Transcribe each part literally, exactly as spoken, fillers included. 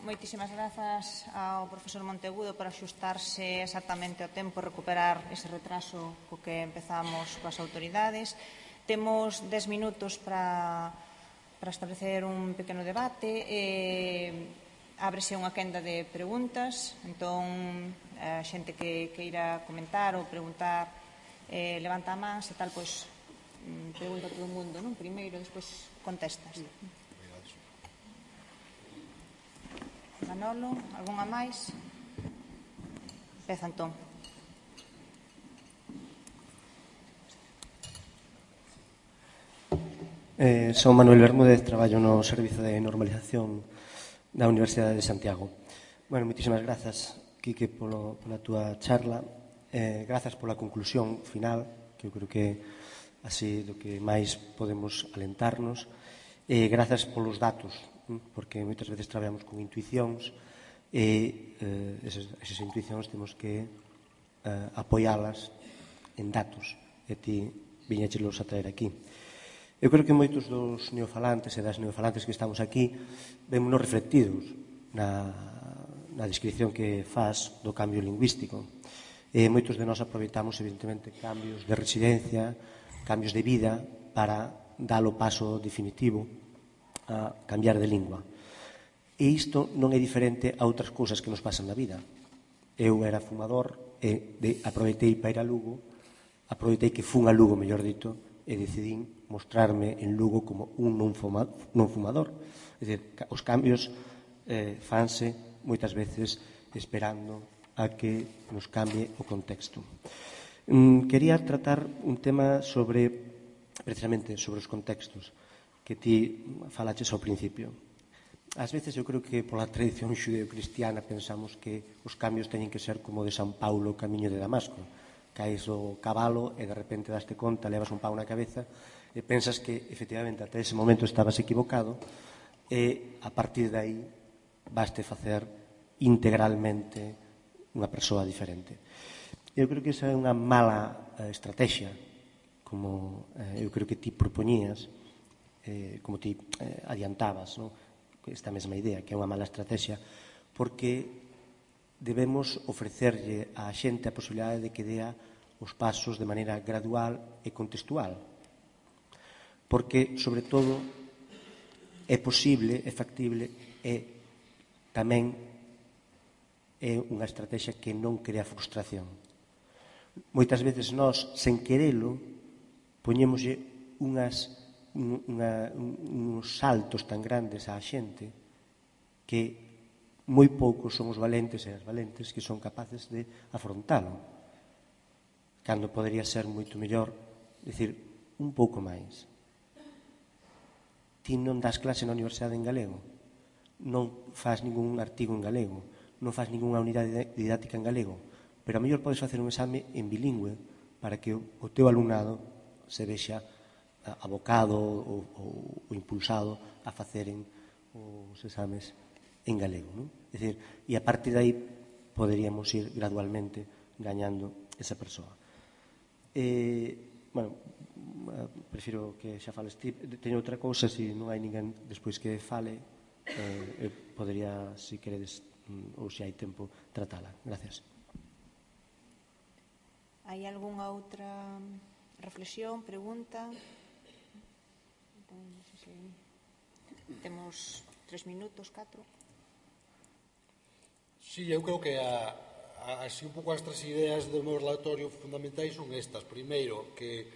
moitísimas grazas ao profesor Monteagudo por axustarse exactamente ao tempo e recuperar ese retraso co que empezamos coas autoridades. Temos dez minutos para, para establecer un pequeno debate. Eh, ábrese unha quenda de preguntas. Entón, a xente que queira comentar ou preguntar eh, levanta a man, se tal, pois, pregunta a todo o mundo, non? Primeiro, despois contestas. Manolo, algunha máis? Empeza, entón. Eh, son Manuel Bermúdez, traballo no Servizo de Normalización da Universidade de Santiago. Bueno, moitísimas grazas, Quique, polo, pola túa charla. Eh, grazas pola conclusión final, que eu creo que así do que máis podemos alentarnos. E grazas polos datos, porque moitas veces traballamos con intuicións e eh, esas, esas intuicións temos que eh, apoialas en datos, e ti viñéchelos a traer aquí. Eu creo que moitos dos neofalantes e das neofalantes que estamos aquí vémonos reflectidos na, na descripción que faz do cambio lingüístico. E moitos de nós aproveitamos, evidentemente, cambios de residencia, cambios de vida para dar o paso definitivo a cambiar de lingua. E isto non é diferente a outras cousas que nos pasan na vida. Eu era fumador e de, aproveitei para ir a Lugo, aproveitei que fun a Lugo, mellor dito, e decidín mostrarme en Lugo como un non, fuma, non fumador. É dicir, os cambios eh, fanse moitas veces esperando a que nos cambie o contexto. Mm, quería tratar un tema sobre, precisamente, sobre os contextos que ti falaches ao principio. Ás veces eu creo que pola tradición xudeo-cristiana pensamos que os cambios teñen que ser como de San Paulo o camiño de Damasco. Caes o cabalo e de repente daste conta, levas un pau na cabeza e pensas que efectivamente ata ese momento estabas equivocado e a partir de aí baste facer integralmente unha persoa diferente. Eu creo que esa é unha mala eh, estrategia, como eh, eu creo que ti propoñías, Eh, como ti eh, adiantabas, ¿no? Esta mesma idea, que é unha mala estrategia, porque debemos ofrecerlle á xente a posibilidade de que dea os pasos de maneira gradual e contextual. Porque, sobre todo, é posible, é factible, e tamén é unha estrategia que non crea frustración. Moitas veces nós, sen querelo, poñémoslle unhas Unha, uns saltos tan grandes á xente que moi poucos son os valentes e as valentes que son capaces de afrontalo, cando podería ser moito mellor dicir un pouco máis. Ti non das clase na universidade en galego, non faz ningún artigo en galego, non faz ningunha unidade didáctica en galego, pero a mellor podes facer un exame en bilingüe para que o teu alumnado se vexa abocado ou, ou, ou impulsado a faceren os exames en galego, non? É dicir, e a partir de aí poderíamos ir gradualmente gañando esa persoa. E, bueno, prefiro que xa fales ti. Teño outra cousa, se non hai ninguén despois que fale, eh, eu podería, se queredes, ou se hai tempo, tratala. Gracias. Hai algunha outra reflexión, pregunta? Non sei se temos tres minutos, catro. Sí, eu creo que a, a, así un pouco as tres ideas do meu relatorio fundamentais son estas. Primeiro, que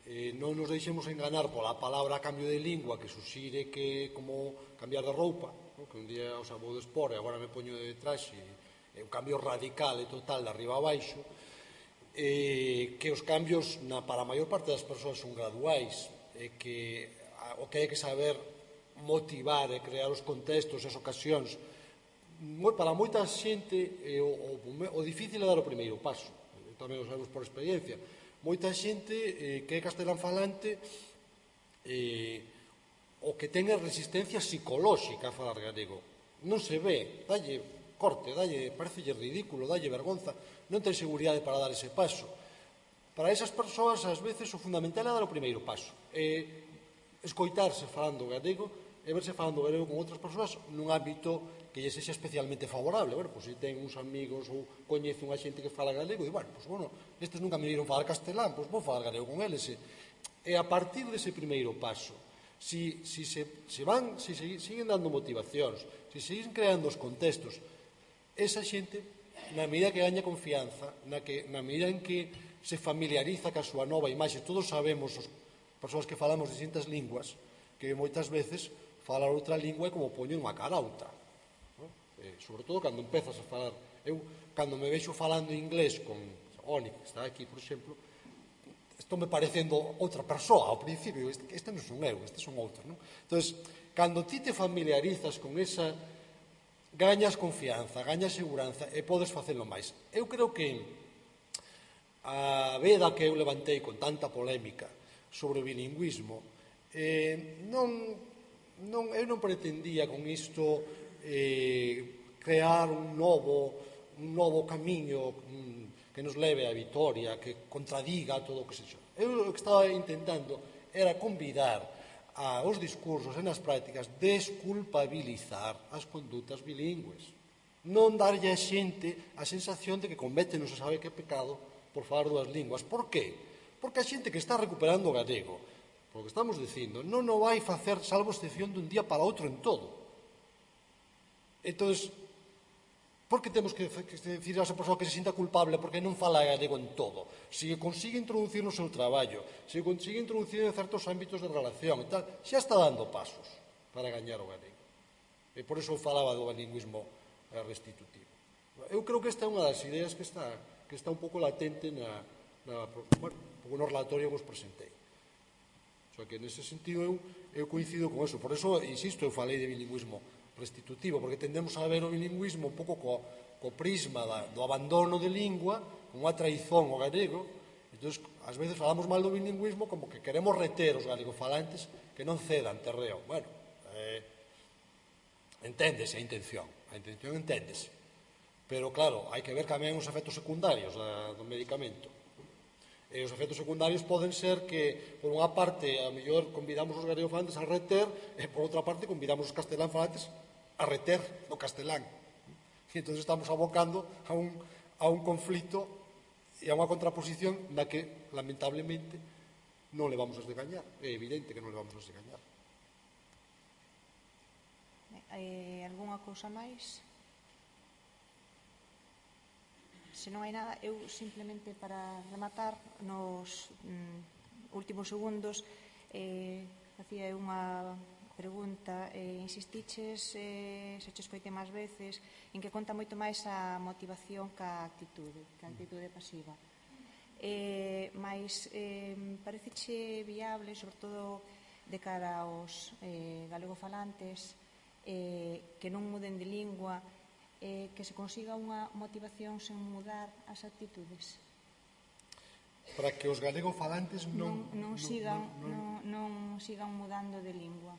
eh, non nos deixemos enganar pola palabra cambio de lingua, que suxire que como cambiar de roupa, ¿no? Que un día os vou de espor e agora me poño de traxe, é un cambio radical e total de arriba a baixo, eh, que os cambios na, para a maior parte das persoas son graduais, e que o que hai que saber motivar e crear os contextos e as ocasións. Para moita xente o, o, o difícil é dar o primeiro paso, tamén o sabemos por experiencia. Moita xente eh, que é castelán falante eh, o que ten resistencia psicolóxica a falar galego non se ve, dalle corte, dalle, parecelle ridículo, dalle vergonza, non ten seguridade para dar ese paso. Para esas persoas, ás veces, o fundamental é dar o primeiro paso. E escoitarse falando galego e verse falando galego con outras persoas nun ámbito que lle sexa especialmente favorable. Bueno, pois se ten uns amigos ou coñece unha xente que fala galego, e, bueno, pois, bueno, estes nunca me viron falar castelán, pois vou falar galego con eles. E a partir dese primeiro paso, si, si se, se van, si se, siguen dando motivacións, si siguen creando os contextos, esa xente, na medida que gaña confianza, na, que, na medida en que se familiariza ca súa nova imaxe, todos sabemos, as persoas que falamos distintas linguas, que moitas veces falar outra lingua é como poñer unha cara a outra. ¿No? Eh, sobre todo cando empezas a falar. Eu, cando me vexo falando inglés con Oni, que está aquí, por exemplo, estou me parecendo outra persoa ao principio. Este, este non son eu, este son outro. ¿No? Entón, cando ti te familiarizas con esa, gañas confianza, gañas seguranza e podes facelo máis. Eu creo que a veda que eu levantei con tanta polémica sobre o bilingüismo, eh, non, non, eu non pretendía con isto eh, crear un novo, un novo camiño um, que nos leve á vitoria, que contradiga todo o que se xo. Eu o que estaba intentando era convidar aos discursos e nas prácticas desculpabilizar as condutas bilingües. Non darlle a xente a sensación de que comete non se sabe que pecado por falar dúas linguas. Por qué? Porque a xente que está recuperando o galego, por que estamos dicindo, non o vai facer salvo excepción dun día para outro en todo. Entón, por que temos que decir a esa persoa que se sinta culpable porque non fala galego en todo? Se consigue introducir no seu traballo, se consigue introducir en certos ámbitos de relación e tal, xa está dando pasos para gañar o galego. E por iso eu falaba do bilingüismo restitutivo. Eu creo que esta é unha das ideas que está, que está un pouco latente na, na, bueno, no relatorio que vos presentei. O sea que, nese sentido, eu, eu coincido con eso. Por eso, insisto, eu falei de bilingüismo restitutivo, porque tendemos a ver o bilingüismo un pouco co, co prisma da, do abandono de lingua, con unha traizón ao galego. Entón, ás veces falamos mal do bilingüismo como que queremos reter os galegofalantes que non cedan terreo. Bueno, eh, enténdese a intención, a intención enténdese. Pero, claro, hai que ver tamén os efectos secundarios da, do medicamento. E os efectos secundarios poden ser que, por unha parte, a mellor convidamos os galegofalantes a reter, e por outra parte, convidamos os castelánfalantes a reter no castelán. E entón estamos abocando a un, a un conflito e a unha contraposición na que, lamentablemente, non le vamos a desgañar. É evidente que non le vamos a desgañar. Hai algunha cousa máis? Se non hai nada, eu simplemente para rematar nos mm, últimos segundos eh, facía unha pregunta, eh, insistiches, eh, se che escoite máis veces, en que conta moito máis a motivación ca actitude, ca actitude pasiva. Eh, mais eh, pareceche viable, sobre todo de cara aos eh, galegofalantes, eh, que non muden de lingua, eh, que se consiga unha motivación sen mudar as actitudes? Para que os galegofalantes non, non, non, sigan, non, non, non sigan mudando de lingua.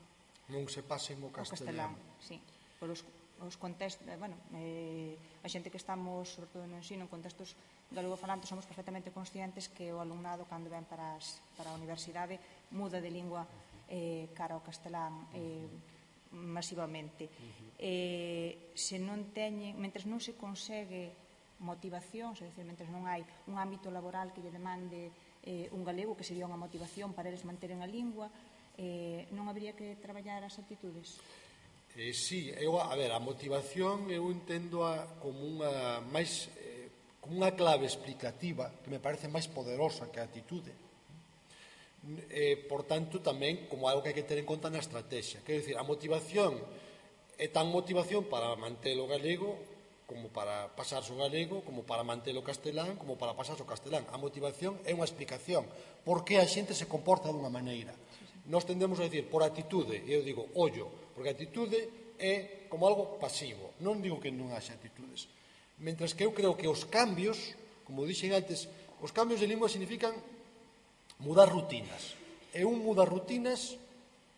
Non se pasen o castelán. O castelán, sí. Por os, os contextos, bueno, eh, a xente que estamos, sobre todo no ensino, en contextos galegofalantes, somos perfectamente conscientes que o alumnado, cando ven para, as, para a universidade, muda de lingua eh, cara ao castelán eh, masivamente. Eh, se non teñen, mentres non se consegue motivación, é dicir, mentres non hai un ámbito laboral que lle demande eh, un galego, que sería unha motivación para eles manteren a lingua, eh, non habría que traballar as actitudes? Eh, sí, eu, a ver, a motivación eu entendo a, como unha máis eh, como unha clave explicativa que me parece máis poderosa que a actitude. Eh, por tanto, tamén como algo que hai que ter en conta na estrategia. Quero dicir, a motivación é tan motivación para manter o galego como para pasarse o galego, como para manter o castelán, como para pasarse o castelán. A motivación é unha explicación. Por que a xente se comporta dunha maneira? Nós tendemos a dicir, por actitude, e eu digo, ollo, porque a actitude é como algo pasivo. Non digo que non haxa actitudes. Mentres que eu creo que os cambios, como dixen antes, os cambios de lingua significan mudar rutinas. E un muda rutinas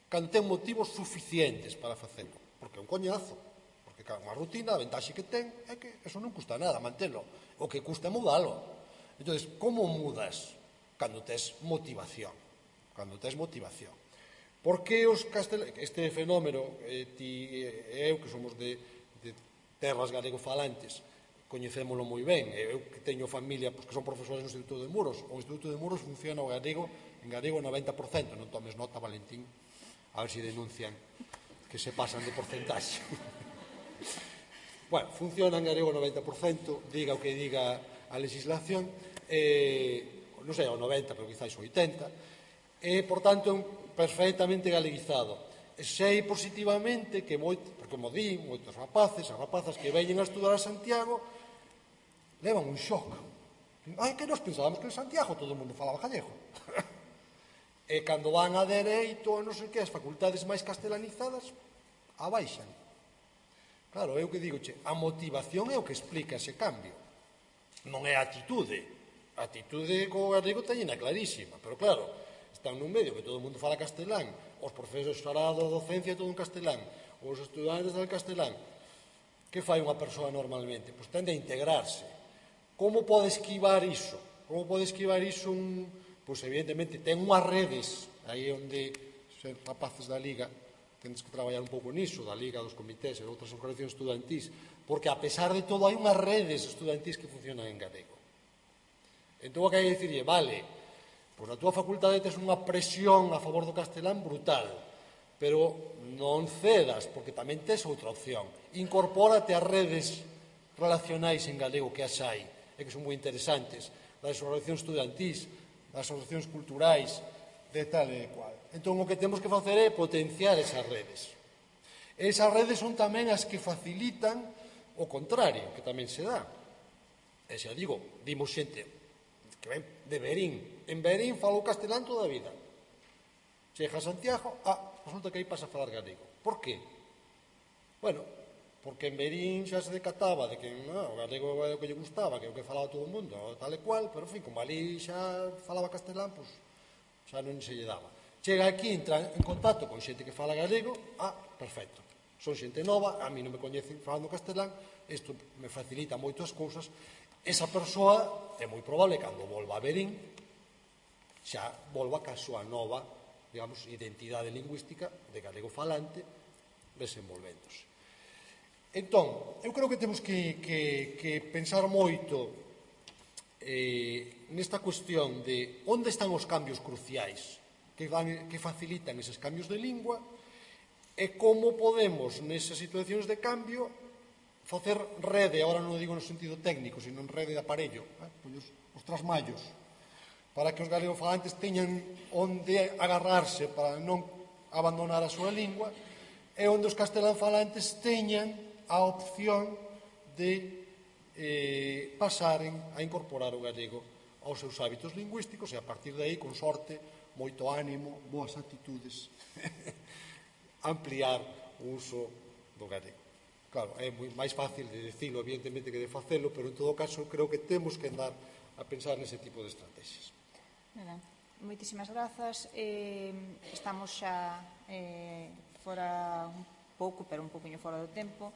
cando ten motivos suficientes para facelo. Porque é un coñazo. Porque cada unha rutina, a ventaxe que ten é que eso non custa nada mantelo. O que custa é mudalo. Entón, como mudas? Cando tes motivación. Cando tes motivación. Por que os castelanos, este fenómeno, eh, ti e eu, que somos de, de terras galego-falantes, coñecémolo moi ben, eu que teño familia pois, que son profesores no Instituto de Muros, o Instituto de Muros funciona o galego, en galego noventa por cento, non tomes nota, Valentín, a ver se denuncian que se pasan de porcentaxe. Bueno, funciona en galego noventa por cento, diga o que diga a legislación, eh, non sei, o noventa, pero quizás o oitenta, e, por tanto, perfectamente galeguizado. E sei positivamente que, moito, porque como di, moitos rapaces, as rapazas que veñen a estudar a Santiago, levan un shock. Ai, que nos pensábamos que en Santiago todo o mundo falaba gallego. E cando van a dereito, non sei que, as facultades máis castelanizadas, abaixan. Claro, eu que digo, che, a motivación é o que explica ese cambio. Non é a atitude. A atitude co galego teñena clarísima, pero claro, están nun medio que todo o mundo fala castelán, os profesores fará da docencia todo en castelán, os estudantes del castelán. Que fai unha persoa normalmente? Pois tende a integrarse. Como pode esquivar iso? Como pode esquivar iso un... Pois evidentemente ten unhas redes, aí onde ser rapaces da Liga tendes que traballar un pouco niso, da Liga, dos comités e de outras organizacións estudantís, porque a pesar de todo hai unhas redes estudantís que funcionan en galego. Entón o que hai que dicirlle, vale, pois na túa facultade tes unha presión a favor do castelán brutal, pero non cedas, porque tamén tes outra opción. Incorpórate ás redes relacionais en galego que as hai, e que son moi interesantes, das organizacións estudantís, das asociacións culturais, de tal e cual. Entón, o que temos que facer é potenciar esas redes. Esas redes son tamén as que facilitan o contrario, que tamén se dá. E xa digo, dimos xente que ven de Berín. En Berín falou castelán toda a vida. Chega a Santiago, ah, resulta que aí pasa a falar galego. Por qué? Bueno, porque en Berín xa se decataba de que no, o galego é o que lle gustaba, que é o que falaba todo o mundo, tal e cual, pero, en fin, como ali xa falaba castelán, pois xa non se lle daba. Chega aquí, entra en contacto con xente que fala galego, ah, perfecto. Son xente nova, a mí non me coñecen falando castelán, isto me facilita moito as cousas. Esa persoa é moi probable cando volva a Berín xa volva ca súa nova, digamos, identidade lingüística de galego falante desenvolvéndose. Entón, eu creo que temos que, que, que pensar moito eh, nesta cuestión de onde están os cambios cruciais que, van, que facilitan eses cambios de lingua e como podemos nesas situacións de cambio facer rede, agora non o digo no sentido técnico, sino en rede de aparello, eh? Os, os trasmallos, para que os galegofalantes teñan onde agarrarse para non abandonar a súa lingua, e onde os castelanfalantes teñan a opción de eh, pasaren a incorporar o galego aos seus hábitos lingüísticos e a partir de aí, con sorte, moito ánimo, boas actitudes, ampliar o uso do galego. Claro, é moi máis fácil de dicilo, evidentemente, que de facelo, pero en todo caso creo que temos que andar a pensar nese tipo de estrategias. Moitísimas grazas. Eh, estamos xa eh, fora un pouco, pero un pouquinho fora do tempo.